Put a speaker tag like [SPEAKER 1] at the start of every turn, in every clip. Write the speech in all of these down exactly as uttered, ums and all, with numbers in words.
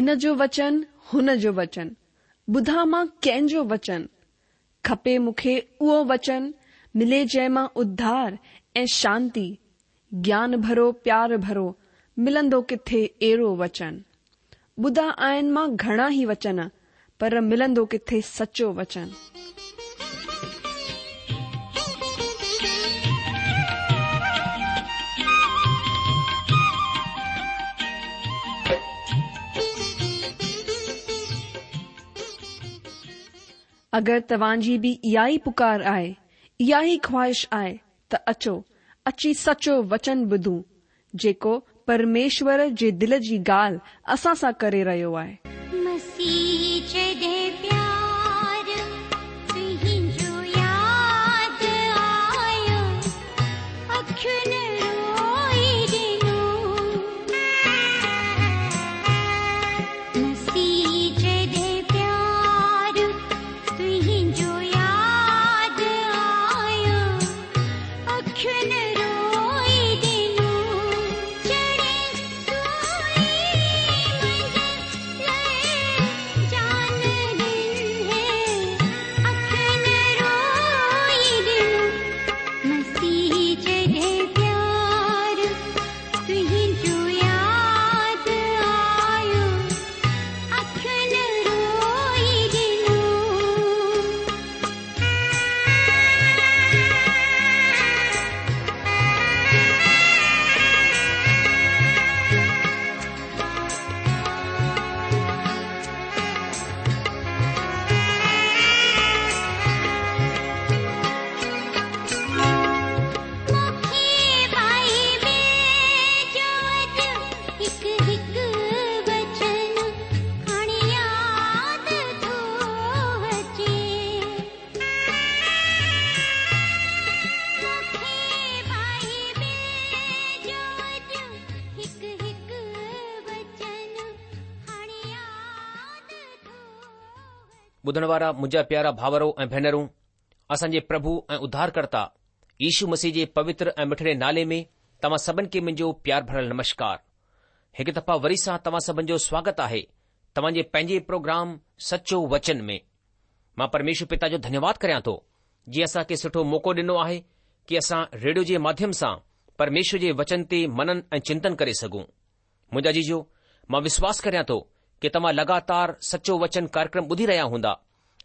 [SPEAKER 1] هن جو وچن هن جو وچن، ٻڌان مان ڪنهن جو وچن؟ کپي مون کي اهو وچن، ملي جنهن مان اڌار ۽ شانتي، گيان ڀرو پيار ڀرو، ملندو ڪٿي اهڙو وچن؟ ٻڌا آهن مان گهڻا ئي وچن، پر ملندو ڪٿي سچو وچن؟ اگر توهان جي به اها ئي پڪار آهي، اها ئي خواهش آهي ته اچو، اچي سچو وچن ٻڌون، جيڪو پرميشور جي دل جي ڳالهه اسان سان ڪري رهيو آهي.
[SPEAKER 2] مسيح جڏهن پيار تنهنجو ياد آيو، اکين روئي ڏنو. مسيح جڏهن پيار تنهنجو ياد آيو، اکين روئي ڏنو. چڙهي سولي منهنجي لاءِ جان ڏني، اکين روئي ڏنو. مسيح جڏهن پيار تنهنجو ياد آيو، اکين روئي ڏنو. مون کي بائيبل جو اڄ هڪ هڪ وچن هاڻي ياد ٿو اچي. مون کي بائيبل جو اڄ هڪ هڪ وچن هاڻي ياد ٿو
[SPEAKER 3] ٻڌڻ وارا منهنجا پيارا ڀائرو ۽ ڀينرون، اسان جي پرڀو ۽ اڌارڪرتا يشو مسيح جي پوتر ۽ مٺڙي نالي ۾ توهان سڀن کي منهنجو پيار ڀريل نمشڪار. هڪ دفعا وري سان توهان سڀن جو سواگت آهي توهان جي پنهنجي پروگرام سچو وچن ۾. مان پرميشور پتا جو ڌنيواد ڪريان ٿو جنهن اسان کي سٺو موقعو ڏنو آهي ڪي اسان ريڊيو جي ماڌيم سان پرميشور جي وچن تي منن ۽ چنتن ڪري سگهون. منهنجا عزيزو، مان وشواس ڪريان ٿو ڪي توهان لڳاتار سچو وچن ڪاريڪرم ٻڌي رهيا هوندا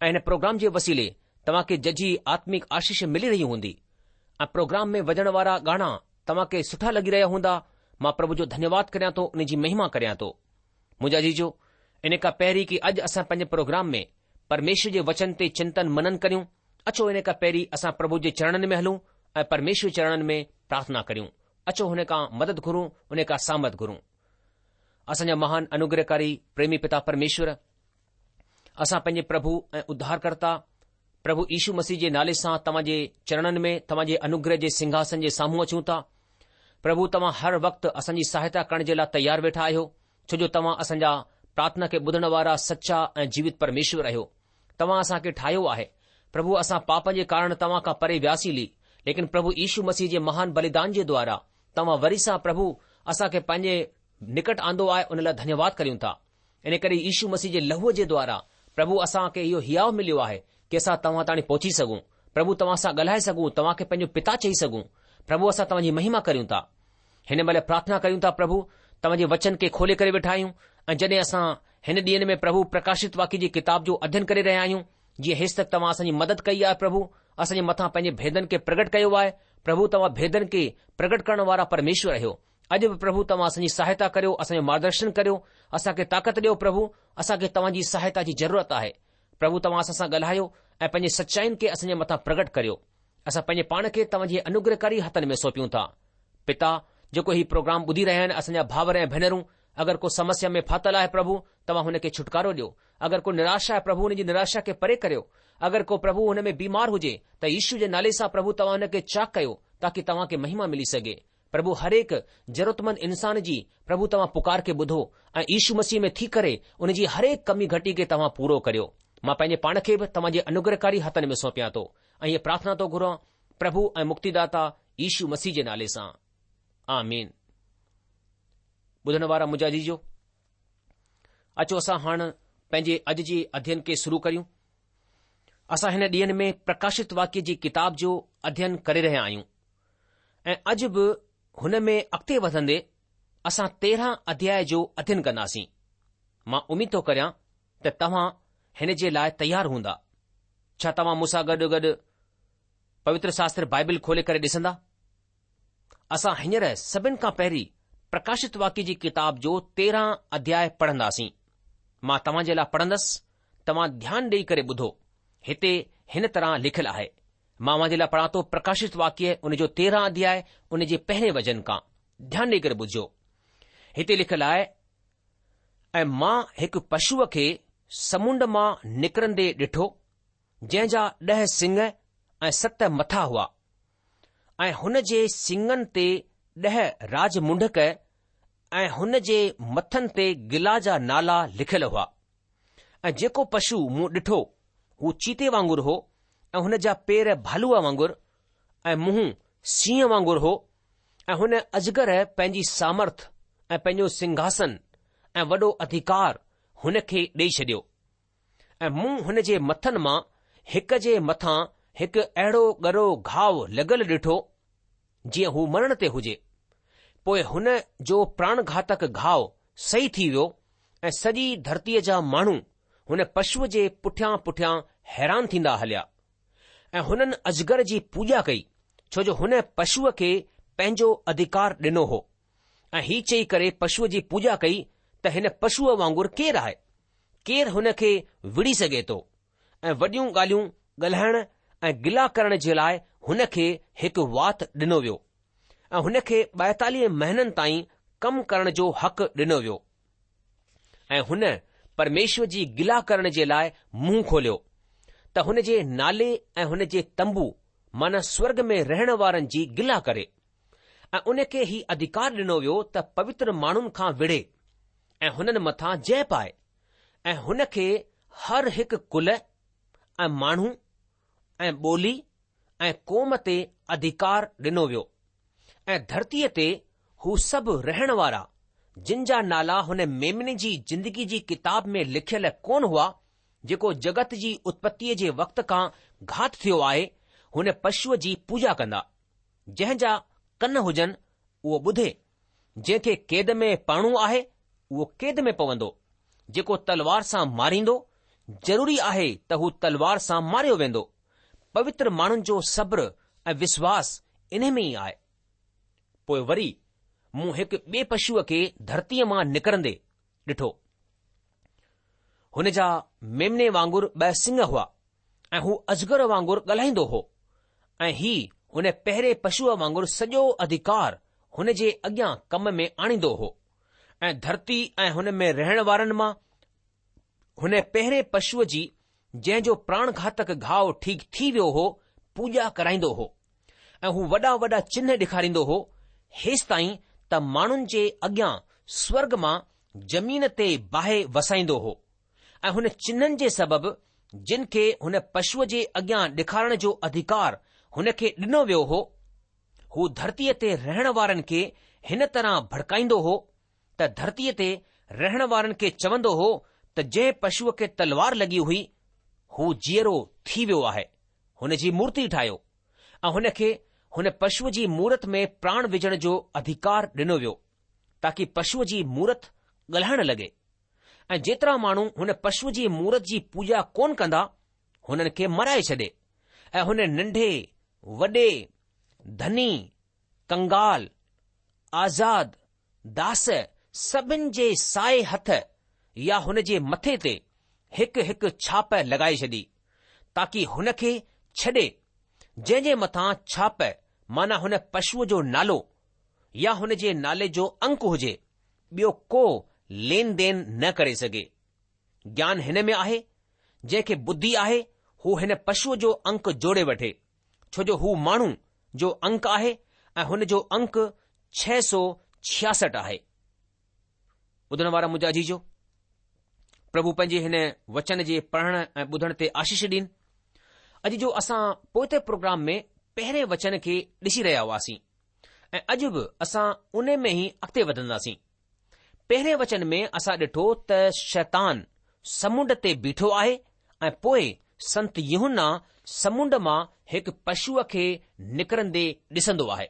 [SPEAKER 3] ۽ هن پروگرام جي وسيلي توهان کي ججهي آتمڪ آشيش ملي رهي هوندي ۽ پروگرام ۾ وڄڻ وارا گانا توهان کي سٺا لڳي رهيا هوندا. مان پرڀو جو ڌنيواد ڪريان ٿو، ان جي مهما ڪريان ٿو. منهنجا عزيزو، ان کان پهرين ڪي اڄ اسان پنهنجي پروگرام ۾ پرميشور جي وچن تي چنتن منن ڪريون، اچو ان کان پهرين اسان پرڀو جي چرڻن ۾ هلون ۽ پرميشور جي چرڻن ۾ پرارٿنا ڪريون. اچو هن کان مدد گهرون، ان کان سامرٿ گهرون. اسان جا مهان انوگرهڪاري پريمي پتا پرميشور، اسان پنهنجي پرڀو ۽ اڌارڪرتا پرڀو يشو مسيح جي نالي سان توهان جي چرڻن ۾ توهان جي انوگره جي سنگهاسن جي سامهون اچون ٿا. پرڀو توهان هر وقت اسان جي سهائتا ڪرڻ جي لاء تيار ويٺا آهيو، ڇو جو توهان اسان جا پرارٿنا کي ٻڌڻ وارا سچا ۽ جيوت پرميشور آهيو. توهان اسان کي ٺاهيو آهي. پرڀو اسان پاپن جي ڪارڻ توهان کان پري وياسين هلي، ليڪن پرڀو يشو مسيح جي مهان بليدان جي دوارا توهان وري سان پرڀو اسان کي پنهنجي نڪٽ آندو آهي، ان لاء ڌنيواد ڪريون ٿا. ان ڪري يشو مسيح جي لهوء جي دوارا پرڀو اسان کي اهو هياء مليو آهي ڪي اسان توهان تاڻي پهچي سگهون، پرڀو توهان سان ڳالهائي سگهون، توهان کي پنهنجو پتا چئي سگهون. پرڀو اسان توهان جي مهما ڪريون ٿا. هن مهل پرارٿنا ڪريون ٿا پرڀو توهان جي وچن کي کولي ڪري ويٺا آهيون ۽ جڏهن اسان هن ڏينهن ۾ پرڀو پرڪاشت واڪيه جي ڪتاب جو اڌين ڪري رهيا آهيون، جيئن هيستڪ توهان اسان جي مدد ڪئي آهي پرڀو اسان جي مٿان پنهنجي ڀيدن کي پرگٽ ڪيو آهي. پرڀو توهان ڀيدن کي پرگٽ ڪرڻ وارا پرميشور آهيو. اڄ به پرڀو توهان اسان جي سهائتا ڪريو، اسان جو مارگدرشن ڪريو، اسان کي طاقت ڏيو پرڀو، اسان کي توهان جي سهائتا جي ضرورت آهي. پرڀو توهان اسان سان ڳالهايو ۽ پنهنجي سچائين کي اسان جي مٿان پرگٽ ڪريو. اسان پنهنجي پاڻ کي توهان جي انوگرهڪاري هٿن ۾ سونپيون ٿا. پتا، جيڪو هي پروگرام ٻڌي رهيا آهن اسان جا ڀائر ۽ ڀينرون، اگر ڪو سمسيا ۾ ڦاٿل آهي پرڀو، توهان هن کي ڇوٽڪارو ڏيو. اگر ڪو نراش آهي پرڀو هن جي نراشا کي پري ڪريو. اگر ڪو پرڀو هن ۾ بيمار هجي ته يشو جي نالي سان پرڀو توهان هن کي چاڪ ڪيو تاڪي توهان کي مهما ملي سگهي. پرڀو هرهڪ ضرورتمند انسان جي پرڀو توهان پڪار کي ٻڌو ۽ يشو مسيح ۾ ٿي ڪري ان جي هرهڪ ڪمي گهٽي کي توهان پورو ڪريو. مان پنهنجي پاڻ کي به توهان جي انوگرهڪاري هٿن ۾ سونپيان ٿو ۽ هيء پرارٿنا ٿو گهران پرڀو ۽ مڪتيداتا يشو مسيح جي نالي سان. آمين. ٻڌڻ وارا منهنجا عزيزو، اچو اسان هاڻ پنهنجي اڄ جي اڌين کي شروع ڪريون. اسان هن ڏينهن ۾ پرڪاشت واڪيه جي ڪتاب جو اڌين ڪري رهيا آهيون ۽ اڄ به هن ۾ اڳتي وڌندي اسان تيرهن اڌياء جو اڌين ڪنداسين. مان اميد ٿو ڪريان ته توهان هن جي لاء تيار هوندا. ڇا توهان مون سان گڏ گڏ پوتر شاستر بائبل کولي ڪري ڏسندا؟ اسان هينئر سڀن کان پهرين پرڪاشت واڪيه جي ڪتاب جو تيرهن اڌياء پڙهنداسين. مان توهان جي لاء پڙهندس، توهان ڌيان ڏيئي ڪري ٻڌو. هتي هن طرح لکيل آهي. مان اوهان جي لاء پڙهان ٿو پرڪاشت واڪيه ان جو تيرهن اڌياء ان جي پهرين وچن کان. ڌيان ڏيئي ڪري ٻڌجو. هتي لکيل آهي، ۽ مان هڪ پشوء کي سمنڊ مان نڪرندي ڏٺو، جنهن جا ڏهه سڱ ۽ ست مٿا هئا، ۽ هن جي سڱن تي ڏهه راج منڍڪ ۽ هن جي مٿن تي گلا جا نالا لکيل هئا. ۽ جيڪو پشو مون ڏٺو هو چيتي وانگر هو ۽ هن جا پير ڀالوء وانگر ۽ منهن سينهن وانگر هو ۽ هن اجگر پنهنجي سامرٿ ۽ پنهنجو سنگهاسن ۽ وڏو اڌڪار هن کي ڏيئي ڇڏيو. ۽ مون هن جي مٿن مان هڪ جي مٿان هڪ اهڙو ڳرو گهاء لڳل ڏٺو، جيئن هو مرڻ تي هجي. پوء هن جو پراڻگهاتڪ گهاء صحيح ٿي ويو ۽ سڄي ڌرتيء جا ماڻهو هن پشوء جي پٺيان پٺيان حيران ٿيندا هليا ۽ هنن اجگر جي پوڄا ڪئي، ڇو جو هن پشوء کي پنهنجو اڌڪار ڏنو هو ۽ هي چئي ڪري پشوء جي پوڄا ڪئي ته هن پشوء وانگر ڪير آهي؟ ڪير هن کي وڙهي سگهي ٿو؟ ۽ وڏيون ڳالهيون ڳالهائڻ ۽ گلا ڪرڻ جي لاء هن کي هڪ وات ڏنو ويو ۽ هن کي ٻائيتاليهه مهينن تائين ڪم ڪرڻ جو حق ڏنو ويو ۽ هن پرميشور جي گلا ڪرڻ جي لاء منهن کوليو ته هن جي نالي ۽ هن جي تنبو معنيٰ سورڳ ۾ رهڻ وارن جي گلا ڪري ۽ ان کي هي اڌڪار ڏنو ويو ته پوتر ماڻهن کان وڙهي ۽ هنن مٿان جئه پائي ۽ هن کي هر هڪ ڪل ۽ ماڻهو ۽ ٻولي ۽ قوم تي اڌڪار ڏنو ويو ۽ ڌرتيء تي هو سڀ رهڻ وارا جن جا نالا هن ميمني جي زندگي جي ڪتاب ۾ لکيل ڪونه هئا، جيڪو جڳت جي اتپتيء جي وقت کان گهات ٿيو آهي، هن پشوء جي پوڄا ڪندا. جنهن جا ڪن هجن، اهو ٻڌي. جنهن کي قيد ۾ پوڻو آهي، اهو قيد ۾ پوندو. جيڪو تلوار سان ماريندو، ضروري آهي ته هو تلوار سان ماريو ويندو. پوتر ماڻهن جو صبر ۽ وشواس انهي ۾ ئي آهي. پوء وري مون هڪ ٻئي پشوء کي ڌرتيء مان نڪرندي ڏٺو. هن جا ميمني وانگر ٻه سڱ هئا ۽ هو اجگر وانگر ڳالهائيندو هو ۽ هي هن پهرين پشوء وانگر سڄو اڌڪار هن جي اڳيان ڪم ۾ آڻيندو هو ۽ ڌرتي ۽ هن ۾ رهڻ وارن مان هن پهرين پشوء جي جنهن جو پراڻگهاتڪ گهاء ٺيڪ ٿي ويو هو، پوڄا ڪرائيندو هو ۽ هو وڏا وڏا چنهه ڏيکاريندو هو، هيستائين ته ماڻهن جي اڳيان سورڳ مان زمين تي باهه وسائيندو هو ۽ هن چنهن جي سبب جن کي هن پشوء جي اڳيان ڏيکارڻ جو اڌڪار هن کي ڏنو ويو هو، هو ڌرتيء تي رهڻ وارن کي هن طرح ڀڙڪائيندو هو ته ڌرتيء تي رهڻ وارن کي چوندو هو ته جنهن پشوء کي تلوار لڳي هئي، هو جيئرو ٿي ويو آهي، هن جي مورتي ٺاهيو ۽ هن کي هن پشوء جي مورت ۾ پراڻ وجهڻ جو اڌڪار ڏنو ويو، تاڪي پشوء جي مورت ڳالهائڻ لڳي ۽ جيترا ماڻهو هن پشوء جي مورت جي پوڄا ڪونه ڪندا، هنن کي مارائي ڇڏي ۽ هن ننڍي، وڏي، ڌني، ڪنگال، آزاد، داس سڀن جي سائي هٿ يا هن جي مٿي تي هڪ هڪ ڇاپ لڳائي ڇڏي، تاڪي هن کي ڇڏي جنهن جي مٿان ڇاپ معنيٰ هن پشوء جو نالو يا هن جي نالي جو انڪ هجي، ٻيو ڪو لين دين نه ڪري سگهي. گيان هن ۾ آهي، جنهن کي ٻڌي آهي هو هن پشوء جو انڪ جوڙي وٺي، ڇو جو هو ماڻهو جو انڪ آهي ۽ هن جو انڪ ڇهه سؤ ڇياسٺ آهي. ٻڌڻ وارا منهنجا عزيزو، پرڀو پنهنجي هن وچن جي پڙهڻ ۽ ٻڌڻ تي آشيش ڏين. اڄ جو اسان پوئتي پروگرام ۾ پهرين وچن کي ڏسي رهيا هئاسين ۽ اڄ به اسان ان ۾ ئي اڳتي وڌنداسين. پهرين وچن ۾ اسان ڏٺو ته شيطان سمنڊ تي بيٺو آهي ۽ پوء سنت يوحنا سمنڊ مان هڪ پشوء کي نڪرندي ڏسندو آهي.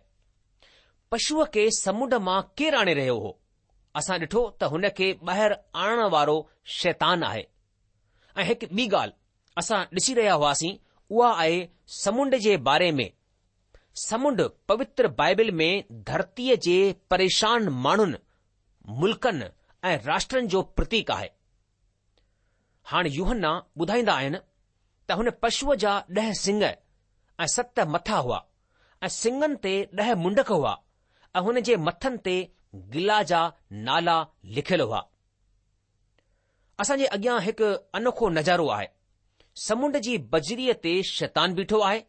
[SPEAKER 3] پشوء کي سمنڊ مان ڪير آڻي رهيو هو؟ اسان ڏٺو ته هن کي ٻاهر آڻڻ وارو شيطان آهي. ۽ هڪ ٻي ڳالهه اسان ڏسي رهيا هئاسين اها آهي سمنڊ جي باري ۾. سمنڊ پوتر بائبل ۾ ڌرتيء جي پريشان ماڻهن، ملڪن ۽ راشٽرن جو پرتيڪ آهي. هاڻ يوحنا ٻڌائيندا آهن ته هن پشوء جا ڏهه سڱ ۽ ست مٿا هئا ۽ سڱن تي ڏهه منڊڪ هئا ۽ هن جي مٿن تي گلا جا نالا لکيل هئا. اسان جي اڳيان هڪ انوکو نظارو آهي. سمنڊ جي بجريء تي شيطان بيٺو آهي.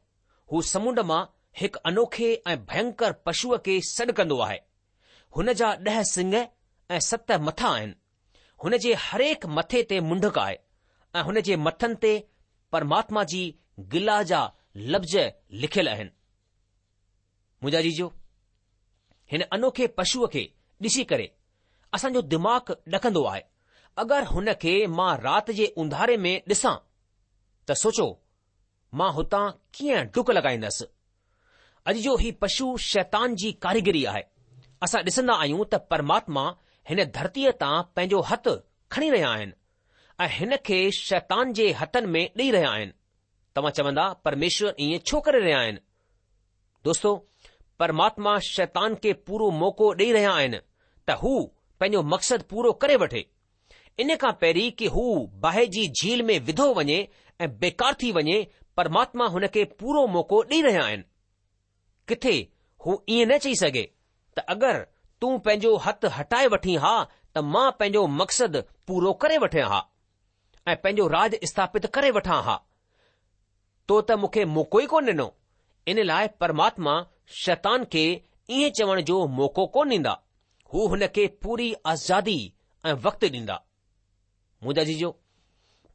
[SPEAKER 3] هو سمنڊ مان هڪ انوکي ۽ ڀينڪر پشوء کي سڏ ڪندو آهي. هن جا ڏهه سڱ ۽ ست مٿا آهن. هن جي هرهڪ مٿي تي منڊڪ آهي ۽ هن جي مٿن تي پرماتما جي گلا جا لفظ لکيل آهن. منهنجا عزيزو، هن انوکي پشوء کي ڏسي ڪري اسان جو دماغ ڏڪندو آهي. اگر هن کي مان رات جي اونڌاري ۾ ڏسان ته سوچو مان هتان ڪيئن ڊڪ لڳائيندس. اڄ جو هي پشو شيطان جي ڪاريگري آهي. اسان ڏسندا آهيون ته پرماتما هن ڌرتيء تان پنهنجو هٿ کڻي رهيا آهن ۽ هن کي شيطان جي هٿن ۾ ڏئي رهيا آهن. توهان چوندا پرميشور ائين ڇو ڪري رهيا آهن؟ دوستو، پرماتما شيطان کي پورو موقعو ڏئي رهيا آهن ته هو پنهنجو مقصد پورو ڪري وٺي. ان کان پهرين ڪي هو باهه جي جهيل ۾ وڌو وڃي ۽ بيڪار ٿي وڃي، پرماتما هن کي پورو موقعو ڏئي رهيا آهن. ڪٿي هو ائين نه چئي سگهي ته اگر تون پنهنجو هٿ هٽائي وٺين ها ته مان پنهنجو مقصد پورو ڪري وٺان ها ۽ پنهنجو راج اسٿاپت ڪري وٺان ها. تو ته مون کي موقعو ئي ڪونه ڏنو. ان لاء پرماتما شيطان کي ائين چوڻ جو موقعو ڪونه ڏيندا. هو هن کي پوري آزادي ۽ وقت ڏيندا. منهنجا عزيزو،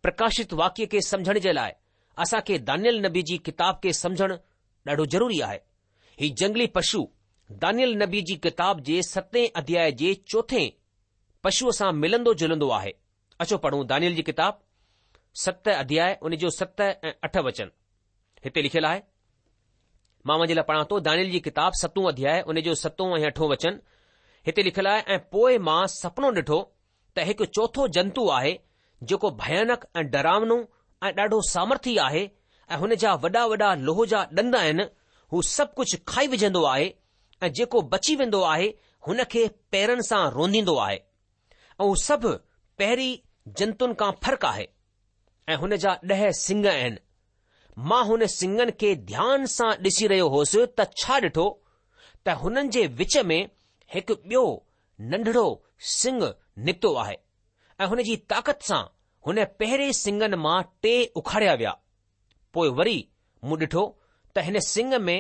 [SPEAKER 3] پرڪاشت واڪيه کي سمجهڻ جي لاء اسان کي دانيل نبي جي ڪتاب کي سمجهڻ ڏاڍو ضروري آهي. هي جنگلي پشو دانيل نبي جي ڪتاب جي ستين اڌياء جي چوٿين پشوء سان ملندو جلندو آهي. اچو پڙهون دانيل جي ڪتاب ست اڌياء ان جو ست ۽ اٺ وچن. هتي لکيل آهي، مان اوهان جي لاء پڙهان ٿو دانيل جي ڪتاب ستون اڌياء ان جو ستون ۽ اٺون وچن. هتي لکيل آهي، ۽ پوء مان سپنو ڏٺو ته هڪ چوٿو جنتو آهي جيڪو ڀيانڪ ۽ ڊراونو ۽ ڏاڍو سامرٿي آهي ۽ هن جا وڏا وڏا لوهه جا ڏند آهن، هو سڀ ڪجهه کائي وجهندو آهي ۽ جيڪو بچي ويندو آهي هن کي پيرن سان رونديندو آهي ۽ هو سڀ پهرين جنتن کان فرق آهي ۽ هن جا ڏهه سڱ آهن. مان هن سڱن کي ڌيان سان ڏسي رهيو هوس ته ڇا ڏٺو ته هنن جي وچ ۾ هڪ ٻيو ننڍڙو سڱ نڪتو آهي ۽ هن جي طاقت سان هن پهرين سڱن مان ٽي اکاڙيا ويا. پوء وري مون ڏٺو ته هن سڱ ۾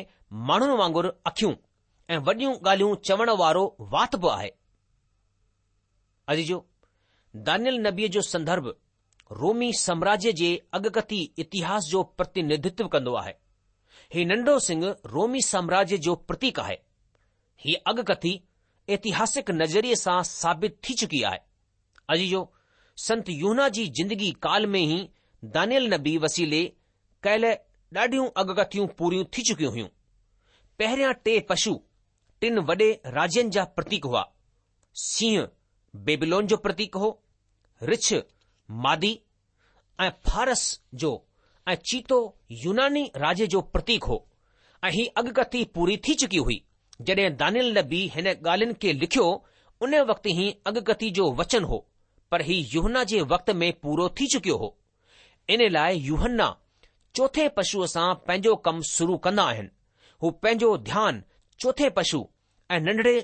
[SPEAKER 3] ماڻهن وانگر اکيون ۽ وڏيون ڳالهيون چوڻ وارو وات به آهي. عزيزو! دانيل نبيء جو سندرڀ رومي سامراجيه جي اڳڪٿي اتهاس جو پرتينڌتو ڪندو آهي. هي ننڍو سڱ رومي سامراجيه جو پرتيڪ آهي. هيء اڳڪٿي اتهاسڪ نظريي سان ثابت ٿي چڪي آهي. عزيزو! سنت يوحنا جي زندگي ڪال ۾ ئي دانيل نبي وسيلي ڪيل ڏاڍيون اڳڪٿيون پوريون ٿي چڪيون هيون. پهريان ٽي پشو ٽن وڏي راجين جا پرتيڪ هئا. سينهن بيبلون جو پرتيڪ هو، رڇ مادي ۽ فارس جو ۽ چيتو يوناني راجيه جو پرتيڪ هو ۽ هي اڳڪٿي پوري ٿي چڪي هئي. جڏهن دانيل نبي هن ڳالهين کي لکيو ان وقت هي اڳڪٿي جو وچن هو پر هي يوحنا جي وقت ۾ پورو ٿي چڪيو هو. ان لاء يوحنا چوٿين پشوء سان پنهنجو ڪم شروع ڪندا آهن. هو پنهنجو ڌيان چوٿين پشو ۽ ننڍڙي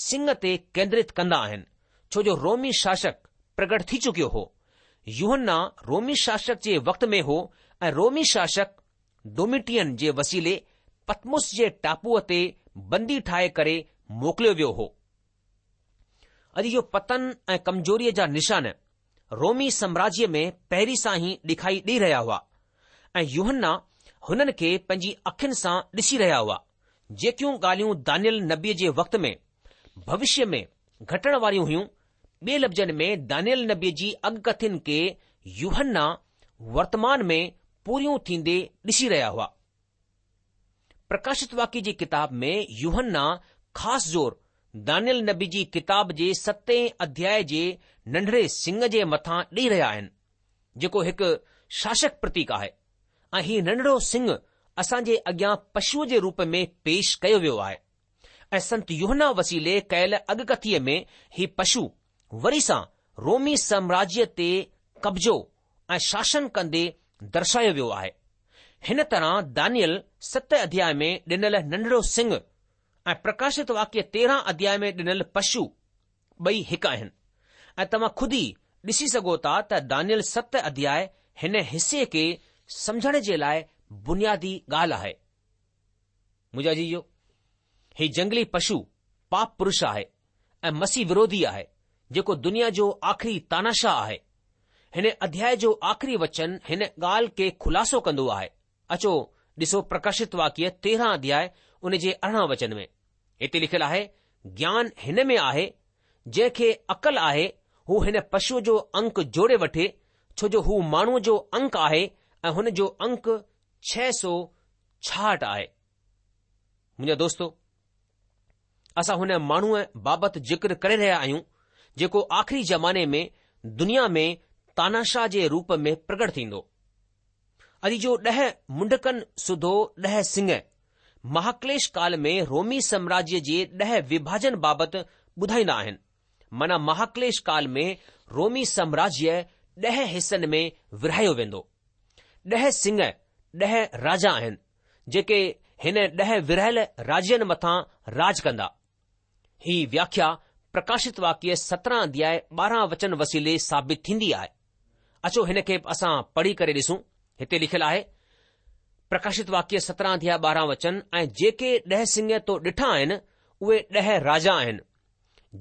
[SPEAKER 3] سڱ تي ڪيندرت ڪندا آهن، ڇو جو رومي شاسڪ پرگٽ ٿي چڪيو هو. يوحنا رومي شاسڪ جي وقت ۾ هو ۽ رومي شاسڪ ڊوميٽين جي وسيلي پتمس جي ٽاپوء تي بندي ٺاهي ڪري موڪليو ويو هو. اڄ اهو پتن ۽ ڪمزوريء جا نشان رومي سامراجيه ۾ پهرين سان ئي ڏکائي ڏئي رهيا هئا ۽ يوحنا هنن کي پنهنجي اکين سان ڏسي رهيا هئا. جيڪيون ڳالهيون دانيل نبيء جي وقت ۾ ڀوشيه ۾ گهٽڻ واريون هيون، ٻئي لفظن ۾ دانيئيل نبيء جي اڳڪٿين کي يوحنا ورتمان ۾ پوريون ٿيندي ڏسي رهيا هئا. پرڪاشت واڪيه جي ڪتاب ۾ يوحنا خاص زور دانيئيل نبي جي ڪتاب جي ستين اڌياء جي ننڍڙي سڱ جي مٿان ڏئي رهيا آهن، جيڪو هڪ شاسڪ پرتيڪ آهي ۽ هي ننڍڙو سڱ اسان جي اڳيان پشوء جي روپ ۾ پيش ڪيو ويو آهي ۽ سنت يوحنا وسيلي ڪيل اڳڪٿيء ۾ هي پشو وري سان رومي سامراجيه تي قبضو ۽ شاسن ڪندي درشايو ويو آهي. هن طرح دانيئيل ست اڌياء ۾ ڏنل ننڍڙو سڱ ۽ پرڪاشت واڪيه تيرهن اڌياء ۾ ڏنل پشو ٻئي هڪ آهن ۽ توهان خود ئي ڏسي سگهو ٿا ته دانيئيل ست اڌياء هن حصي کي سمجهڻ جي لاء بنيادي ڳالهه آهي. منهنجا عزيزو، هي جنگلي پشو پاپ پرش آهي ۽ مسيح وروڌي آهي، جيڪو دنيا جو آخري تاناشاهه آهي. هن اڌياء جو آخري وچن هن ڳالهه کي خلاصو ڪندو آهي. اچو ڏسو پرڪاشت واڪيه تيرهن اڌياء ان جي ارڙهن وچن ۾. هتي لکيل آهي، گيان هن ۾ آهي، جنهن کي عقل آهي هو هن پشوء جو انڪ جوڙي وٺي، ڇو جو هو ماڻهوء جو انڪ آهي ۽ هن جو انڪ ڇهه سؤ ڇاهٺ آهي. منهنجا دوستو! اسان هن ماڻهوء بابت ذڪر ڪري رهيا آهيون، جيڪو آخري زماني ۾ دنيا ۾ تاناشاهه جي روپ ۾ پرگٽ ٿيندو. عزيزو ڏهه منڊڪن سوڌو ڏهه سڱ مهاڪليش ڪال ۾ رومي سامراجيه جي ڏهه وڀاجن بابت ٻڌائيندا آهن. معنيٰ مهاڪليش ڪال ۾ رومي سامراجيه ڏهه حصن ۾ ورهايو ويندو. ڏهه سڱ ڏهه راجا آهن، جيڪي هن ڏهه ورهايل راجين مٿان راڄ ڪندا. هي وياکيا پرڪاشت واڪيه سترهن اڌياء ٻارهن وچن وسيلي ثابت ٿيندي آهي. اچو هن کي به اسان پڙهي ڪري ڏسون. هتي لکيل آهي، پرڪاشت واڪيه سترهن اڌياء ٻارهن وچن ۽ جيڪي ڏهه سڱ تو ڏٺا آهن، اهي ڏهه راجا آهن،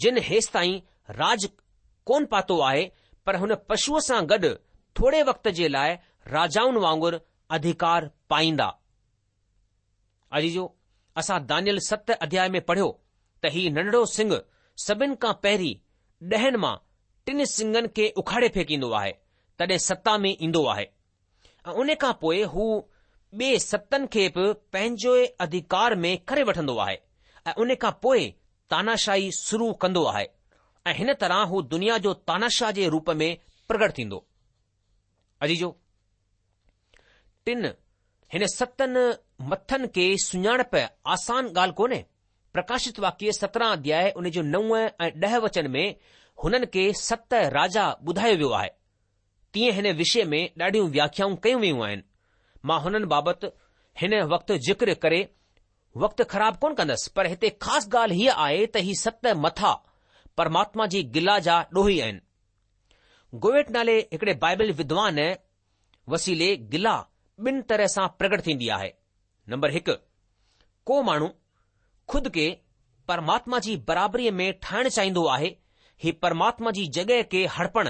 [SPEAKER 3] جن هيستائين راڄ ڪونه پاتو آهي، پر هن پشوء سان گڏ ٿوري وقت جي لاء راجائن وانگر اڌيڪار پائيندا. عزيزو، اسان دانيل ست اڌياء ۾ پڙهيو ته هي ننڍڙو سڱ سڀن کان پهرين ڏهن مان ٽن سڱن کي اکاڙي ڦيڪيندو آهي، تڏهن ستا ۾ ايندو آهي ۽ ان کان پوء هو ٻئي ستن کي به پنهنجي اڌيڪار ۾ ڪري وٺندو آهي ۽ ان کان پوء تاناشاهي شروع ڪندو آهي ۽ هن طرح هو دنيا جو تاناشاهه جي روپ ۾ پرگٽ ٿيندو. عزيزو! ٽن هن ستن مٿن کي سڃاڻپ آسان ڳالهه ڪونهي. پرڪاشت واڪيه سترهن اڌياء ان جو نو ۽ ڏهه وچن ۾ هنن کي ست راجا ٻڌايو ويو آهي. تيئن هن وشي ۾ ڏاڍيون وياکيائون ڪيون ويون آهن. مان هنن بابت هن وقت ذڪر ڪري وقت خراب ڪونه ڪندس پر هتي خاص ڳالهه هيء آهي ته هي ست مٿا پرماتما جي گلا جا ڏوهي آهن. گوئيٽ نالي هڪڙي بائبل ودوان وسيلي گلا ٻن طرح سان پرگٽ ٿيندي آهي. نمبر هڪ، ڪو ماڻهو خود کي پرماتما جي برابريء ۾ ٺاهڻ چاهيندو آهي، هي پرماتما جي جڳهه کي هڙپڻ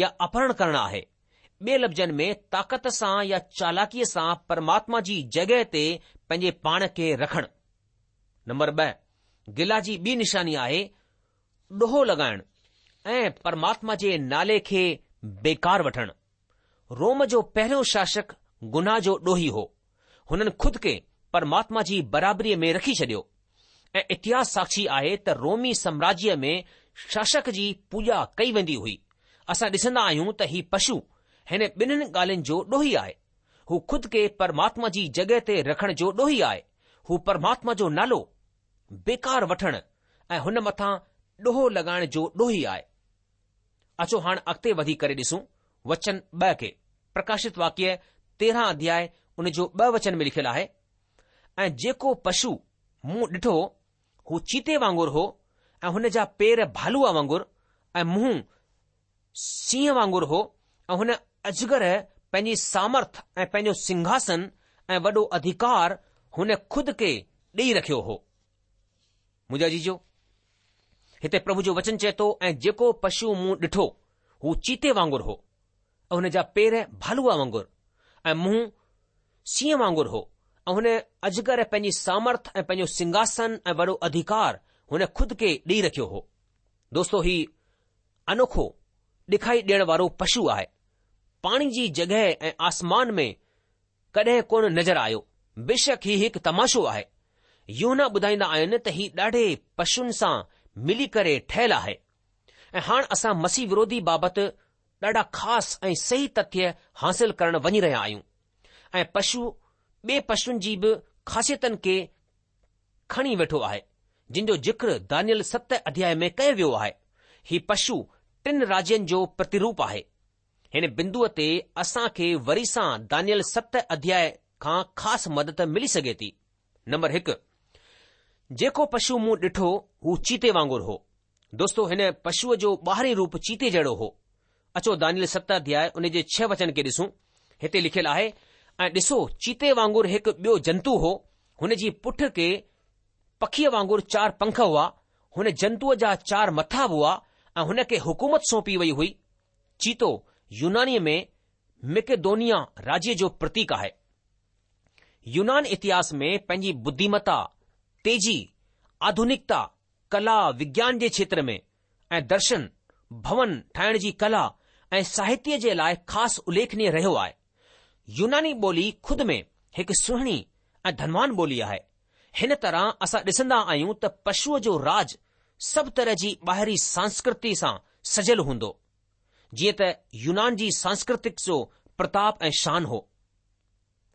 [SPEAKER 3] يا اپهرڻ ڪرڻ آهي. ٻئي لفظن ۾ طاقت سان يا چالاڪيء سان پرماتما جي جڳهه تي پنهنجي پاڻ کي رکڻ. نمبر ٻه، گلا جي ٻي نشاني آهي ڏوهه لڳائڻ ۽ پرماتما جي نالي کي بيڪار وٺڻ. روم جو پهريون شاسڪ گناهه جو ڏوهي هو. هنن خود کي پرماتما جي برابريء ۾ رکي ڇڏيو ۽ اتهاس ساکشي آهي ته رومي سامراجيه ۾ شاسڪ جي پوڄا ڪئي ويندي هئي. اسان ڏسندا آهيون ته هي پشو هن ٻنهين ڳالهين جو ڏوهي آهي. هو خود کي پرماتما جي جڳهه تي رکڻ جو ڏوهي آهي. هو پرماتما جو نالو بيڪار وٺڻ ۽ هن مٿان ڏوهه لڳائڻ جو ڏوهي آهي. اچو هاڻ اڳتي وڌي ڪري ڏسون وچن ٻه کي. پرڪاشت واڪيه تيرهن اڌياء ان جو ٻه وچن ۾ لکيل آهي، ۽ جيڪو پشو مون ڏٺو هو چيتي وانگر هو ۽ هن جا پير ڀالوء وانگر ۽ منهن سينهن وانگر هو ۽ هن اجگر پنهنجي سامرٿ ۽ پنهنجو سنگهاسن ۽ وڏو اڌيڪار هن خود کي ڏيئي رکيو هو. منهنجا عزيزو! هتي پرڀو جو وچن چئي ٿو ۽ جيڪو پشو مون ڏٺو هو چيتي وانگر هو ۽ هن جا پير ڀالوء وانگر ۽ منهن سينهن وانگر هو ۽ هن اجگر پنهنجي سامرٿ ۽ پنهنجو سنگهاسن ۽ وڏو اڌيڪار هن خود کي ڏيئي رکيو هو. دوستو هي انوکو ڏکائي ڏيڻ وارو پشو آهي. پاڻي جي جڳهه ۽ آسمان ۾ ڪڏهن ڪونه نظر آيو. بيشڪ هي هڪ تماشو آهي. يوحنا ٻڌائيندا آهن ته هي ڏاڍي پشن سان ملي ڪري ٺهيل آهي. ۽ هاڻ اسان مسيح وروڌي بابت ڏاڍا خاص ۽ صحيح تٿيه حاصل ڪرڻ وڃي رهيا آهيون. ۽ پشو ٻئي پشن جي به خاصيتن کي کڻي ويٺو آهي، جن جو ذڪر دانيل ست اڌياء ۾ ڪيو ويو آهي. هي پشو ٽن راجين جو پرتيروپ آهي. هن بندوء تي اسان کي وري سان دانيل ست اڌياء کان خاص مدد ملي سگهي ٿي. نمبر هڪ، جيڪو پشو مون ڏٺو هو چيتي وانگر هو. دوستو هن پشوء جو ٻاهرين روپ چيتي جهڙو هو. اچو دانيل ست اڌياء ان جي ڇهه وچن کي ڏسون. هتي لکيل آهي، ۽ ڏسو چيتي وانگر هڪ ٻيو جنتو هو، هن جي پٺ کي پکيء وانگر چار پنک هئا، هن جنتوء جا چار مٿا به هئا ۽ هن کي حڪومت سونپي وئي هئي. چيتو يونانيء ۾ مڪيدونيا راجيه جو پرتيڪ آهي. يونان اتهاس ۾ پنهنجي ٻڌيمتا، تيزي، آڌونڪتا، ڪلا، وگيان جي کيتر ۾ ۽ درشن، ڀون ٺاهڻ جي ڪلا ۽ ساهتيه جي لاء خاص اليکنيه رهيو آهي. يوناني ٻولي خود ۾ هڪ سهڻي ۽ ڌنوان ٻولي آهي. هن طرح اسان ڏسندا آهيون ته پشوء جو راج سڀ طرح جي ٻاهري سانسڪرتي سان سجيل هوندو. جيئن ته يونان جي سانسڪرتڪ جو پرتاپ ۽ شان هو.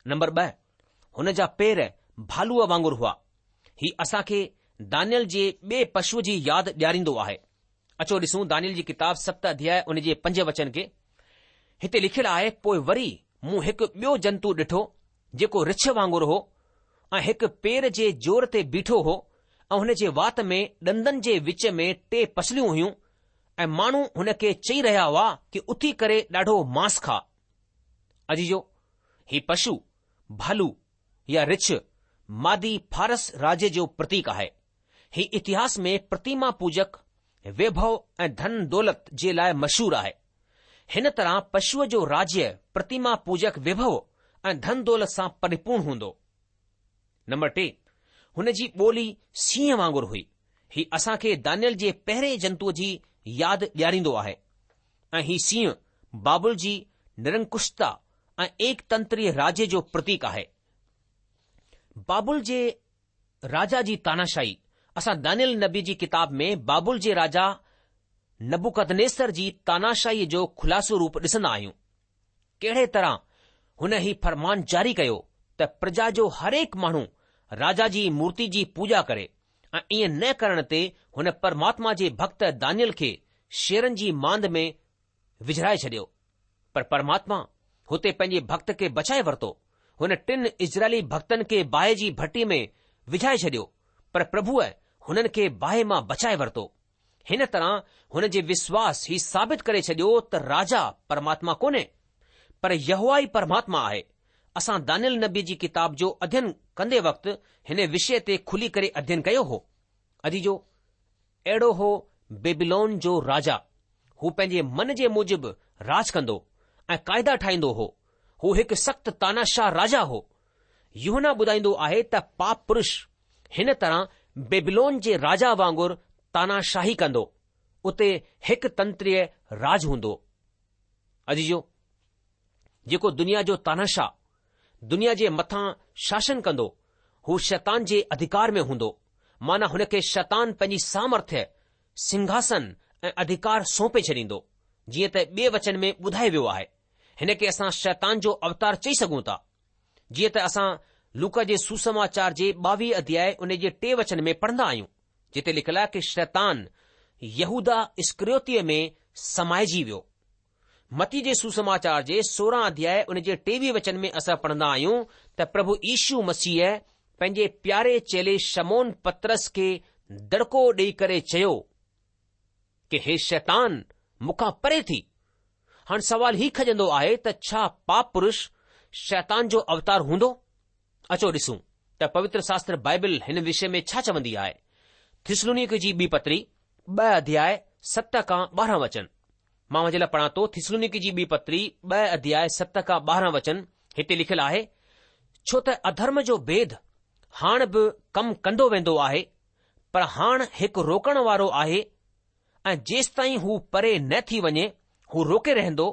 [SPEAKER 3] نمبر ٻه، هن جا پير ڀالوء وانگر هئا. هي اسان کي دانيل جي ٻئي پشوء جي ياد ڏياريندو آهي. اچو ڏسون دانيل جي ڪتاب ست اڌياء ان جي پنج وچن کي. هتي لکيل آهي، پوء وري مون هڪ ٻيو جنتو ڏٺو، جيڪو رڇ وانگر هو ۽ هڪ پير جي زور تي بيٺو هو ۽ هن جي وات ۾ ڏندن جي وچ ۾ ٽي پسليون هيون ۽ ماڻهو هن کي چئي رهيا هئا ڪي اٿي ڪري ڏاڍو مانس کاء. عزيزو! هي پشو، ڀالو يا رڇ، مادي فارس راجيه جو پرتيڪ آهي. هي اتهاس ۾ پرتيما پوجڪ، ويڀو ۽ ڌن دولت جي لاء مشهور آهي. هن طرح پشوء جو راجيه پرتيما پوجڪ ويڀو ۽ ڌن دولت سان پريپورڻ هوندو. نمبر ٽي، هن جي ٻولي سينهن وانگر هئي. هي اسان کي دانيل جي پهرين جنتوء جي ياد ڏياريندو آهي ۽ هي سينهن بابل جي نرنڪشتا ۽ ايڪ تنتري راجيه جو پرتيڪ آهي. بابل جي راجا جي تاناشاهي، اسان دانيل نبي جي ڪتاب ۾ بابل جي راجا نبوڪدنيسر جي تاناشاهيء جو خلاصو روپ ڏسندا آهيون. ڪهڙي طرح هن هي فرمان جاري ڪيو ته پرجا جو هرهڪ ماڻهو راجا جي مورتي جي پوڄا ڪري ۽ ائين نه ڪرڻ تي هن پرماتما جي ڀڳت دانيل کي شيرن جي ماند ۾ وجهرائي ڇڏيو. پر پرماتما هتي پنهنجي ڀڳت کي بچائي ورتو. هن ٽن اسرائيلي ڀڳتن کي باهه جي ڀٽي ۾ وجهائي ڇڏيو، پر پرڀوء هنن کي باهه مان بچائي ورتو. هن طرح هن جي وشواس هي ثابت ڪري ڇڏيو ته راجا پرماتما ڪونهي، پر يهوه ئي پرماتما آهي. اسان دانيل نبيء جي ڪتاب جو اڌين ڪندي وقت هن وشيه تي کلي ڪري اڌين ڪيو هو. عزيزو! اهڙو هو بيبيلون جو راجا. هو پنهنجي من جي موجب راڄ ڪندو ۽ قاعدا ٺاهيندو هو. هو هڪ سخت تاناشاهه راجا هو. يوحنا ٻڌائيندو آهي ته پاپ پرش هن طرح بيبيلون جي راجا وانگر تاناشاهي ڪندو. اتي هڪ تنتريه راڄ هوندو. عزيزو! جيڪو دنيا جو تاناشاهه، دنيا جي مٿان شاسن ڪندو، هو شيطان جي اڌڪار ۾ هوندو، معنيٰ هن کي شيطان پنهنجي سامرٿيه، سنگهاسن ۽ اڌڪار سونپي ڇڏيندو، جيئن ته ٻئي وچن ۾ ٻڌايو ويو آهي. هن کي اسان شيطان جو اوتار چئي سگهون ٿا. جيئن ته اسان لوڪا جي سوسماچار جي ٻاويهه اڌياء ان جي ٽي وچن ۾ پڙهندا آهيون، جتي لکيل آهي ڪه شيطان يهوداه اسڪريوتيء ۾ سمائجي ويو. متي جي سوسماچار جي سورهن اڌياء ان جي ٽيويهه وچن ۾ اسان پڙهندا آهيون ته پرڀو يشو مسيح پنهنجي پياري چيلي شمعون پطرس کي دڙڪو ڏيئي ڪري چيو ڪه هي شيطان مون کان پري ٿي. هاڻ سوال هي کڄندو آهي ته ڇا پاپ پرش شيطان جو اوتار هوندو؟ اچو ڏسون ته پوتر شاستر بائبل هن وشي ۾ ڇا چوندي آهي. ٿسلونيڪي جي ٻي پتري ٻه اڌياء ست کان ٻارهن وچن. مان اوهان جي لاء پڙهان ٿو ٿسلونيڪي جي ٻي پتري ٻه اڌياء ست کان ٻارهن وچن هتي لکيل آهي، ڇو ته اڌرم جو ڀيد هاڻ به ڪم ڪندو ويندو آهي، پر هاڻ هڪ روڪڻ وارو آهي ۽ جيستائين هو پري نه ٿي وڃي هو روڪي رهندو،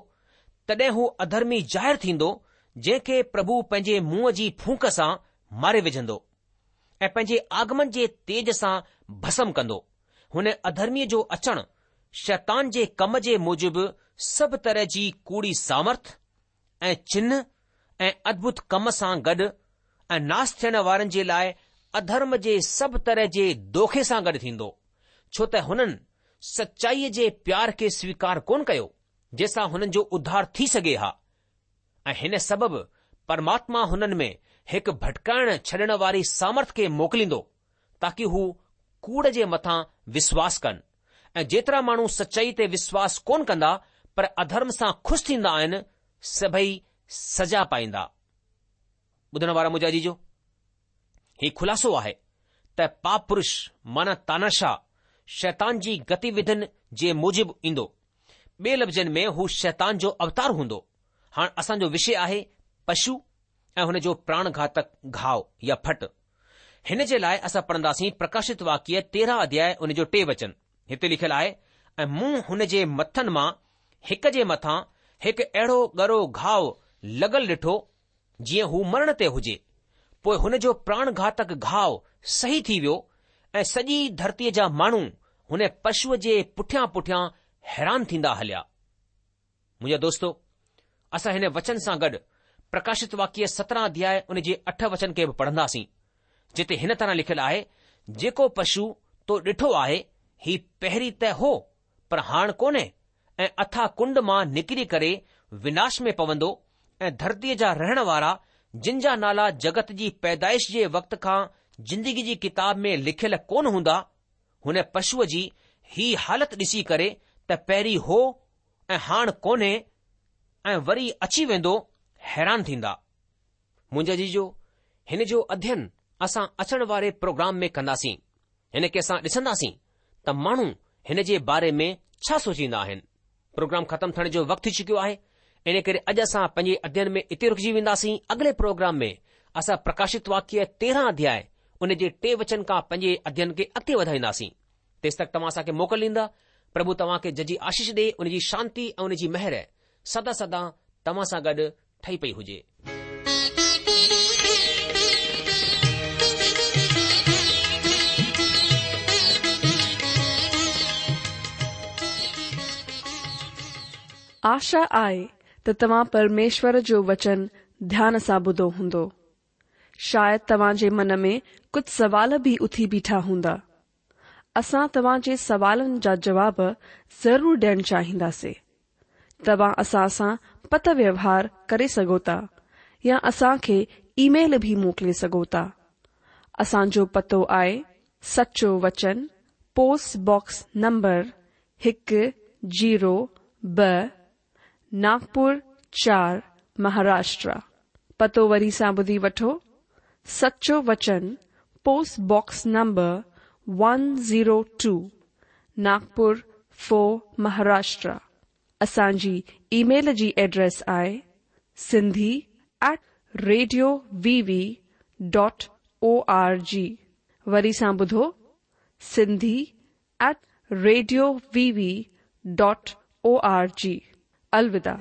[SPEAKER 3] تڏهن هو اڌرمي ظاهر ٿيندو، جنهن کي پرڀو پنهنجي منهن جي ڦونڪ سان ماري وجهندو ۽ پنهنجي آگمن جي تيج سان ڀسم ڪندو. هن اڌرميء جو اچڻ شيطان جي ڪم جي موجب سڀ طرح جي ڪوڙي سامرٿ ۽ چنه ۽ ادڀت ڪم سان گڏ ۽ ناس ٿيڻ وارن جي لاء اڌرم جي سڀ طرح جي دوکي سان گڏ ٿيندو، ڇو ته هنن سچائيء جي پيار کي سويڪار ڪونه ڪيو، جنهن سان هنن جو اڌار ٿي سگهي ها. ۽ هن سبب پرماتما هنن ۾ هڪ ڀٽڪائڻ ڇڏڻ واري سامرٿ کي موڪليندو، تاڪي هو ڪوڙ جي مٿان وسواس ڪن، ۽ جيترا ماڻهو سچائي تي وسواس ڪونه ڪندا پر اڌرم سان خوش ٿيندا آهن، سڀئي سزا پائيندا. ٻڌڻ وارا منهنجا عزيزو، هي خلاصو آهي ته پاپ پرش معنيٰ تاناشاهه شيطان جي گتيوڌين جي موجب ايندو. ٻئي لفظن ۾ هو شيطان جو اوتار هوندو. هاڻ اسان جو وشي آهي پشو ۽ هن جو پراڻ گهاتڪ گهاء يا ڦٽ. هن جي لاء اسان پڙهنداسين پرڪاشت واڪيه تيرهن اڌياء ان جو ٽي وچن. هتي لکيل آهي، ۽ مون هن جي مٿن مان هڪ جي مٿان هڪ اهڙو ڳرو گهاء لڳل ڏٺو، جيئن هو مرڻ تي هجي. پوء هن جو پراڻ گهاتڪ گهاء صحيح ٿي ويو ۽ سڄي ڌرتيء جا ماڻهو هن پشوء جي پٺيان پٺيان حيران ٿيندا هليا. منهنجا دوستو، اسان هن وچن سان گڏ پرڪاشت واڪيه سترهن اڌياء ان جي اٺ وچن کي به پڙهنداسين، جتي هن طرح لکيل آهي، جيڪو پشو تو ڏٺو آهي، هي پهرين ته هو، پر هاڻ ڪونهي ۽ اٿاهه ڪنڊ مان نڪري ڪري وناش ۾ پوندو ۽ ڌرتيء جا رهڻ وارا جن جا نالا جڳت جي پيدائش جي وقت کان زندگي جي ڪتاب ۾ لکيل ڪونه هوندا، هن پشوء جي هي حالت ڏسي ڪري ته پهرين هو ۽ هاڻ ڪونهي ۽ وري اچي ويندو، حيران ٿيندا. منهنجا عزيزو، هن جو اڌين اسان اچڻ واري پروگرام ۾ ڪنداسين. هن کي اسان ڏسنداسين ته ماڻهو هن جي باري ۾ ڇا سوچيندا آهن. پروگرام ختم ٿيڻ جو وقت ٿي چڪيو آهي، ان ڪري اڄ اسان پنهنجي اڌين ۾ اتي رڪجي وينداسين. اڳلي پروگرام ۾ اسان پرڪاشت واڪيه تيرهن اڌياء ان جي ٽي وچن کان پنهنجي اڌين کي اڳتي وڌائينداسين. تيستڪ توهان اسان کي موڪل ڏيندا. پرڀو توهان کي ججهي آشيش ڏي، ان جي شانتي ۽ ان جي مهر سدا سدا توهان سان گڏ ٺهي پئي هجي.
[SPEAKER 1] آشا آهي ته توهان پرميشور جو وچن ڌيان سان ٻڌو هوندو. شايد توهان جي من ۾ ڪجهه سوال به اٿي بيٺا هوندا. اسان توهان جي سوالن جا جواب ضرور ڏيڻ چاهينداسين. توهان اسان سان پتر ويوهار ڪري سگهو ٿا يا اسان کي اي ميل به موڪلي سگهو ٿا. اسان جو پتو آهي سچو وچن پوسٽ باڪس نمبر هڪ زيرو ٻه ناگپور چار مهاراشٽر. پتو وري سان ٻڌي وٺو، سچو وچن post box number one zero two Nagpur four Maharashtra. اسان جي اي ميل جي ايڊريس آهي Sindhi at radio V V dot O R G. وري سان ٻڌو Sindhi at radio V V dot O R G. الوداع.